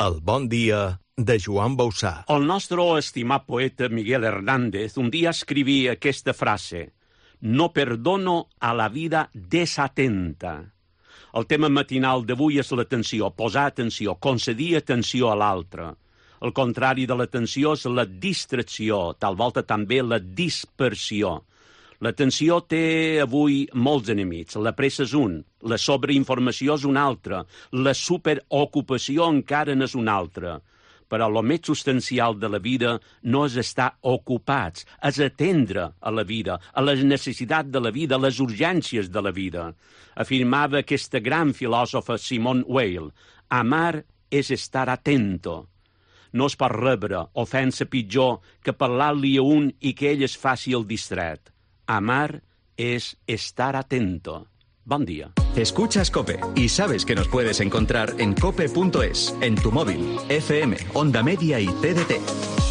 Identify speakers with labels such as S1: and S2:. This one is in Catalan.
S1: El bon dia de Joan Bausà.
S2: El nostre estimat poeta Miguel Hernández un dia escrivia aquesta frase: «No perdono a la vida desatenta». El tema matinal d'avui és l'atenció, posar atenció, concedir atenció a l'altre. El contrari de l'atenció és la distracció, tal volta també la dispersió. L'atenció té avui molts enemics. La pressa és un, la sobreinformació és un altre, la superocupació encara n'és un altre. Però el més substancial de la vida no és estar ocupats, és atendre a la vida, a les necessitats de la vida, a les urgències de la vida. Afirmava aquesta gran filòsofa Simone Weil: amar és estar atento. No es pot rebre ofensa pitjor que parlar-li a un i que ell es faci el distret. Amar es estar atento. Buen día.
S3: Escuchas COPE y sabes que nos puedes encontrar en cope.es, en tu móvil, FM, Onda Media y TDT.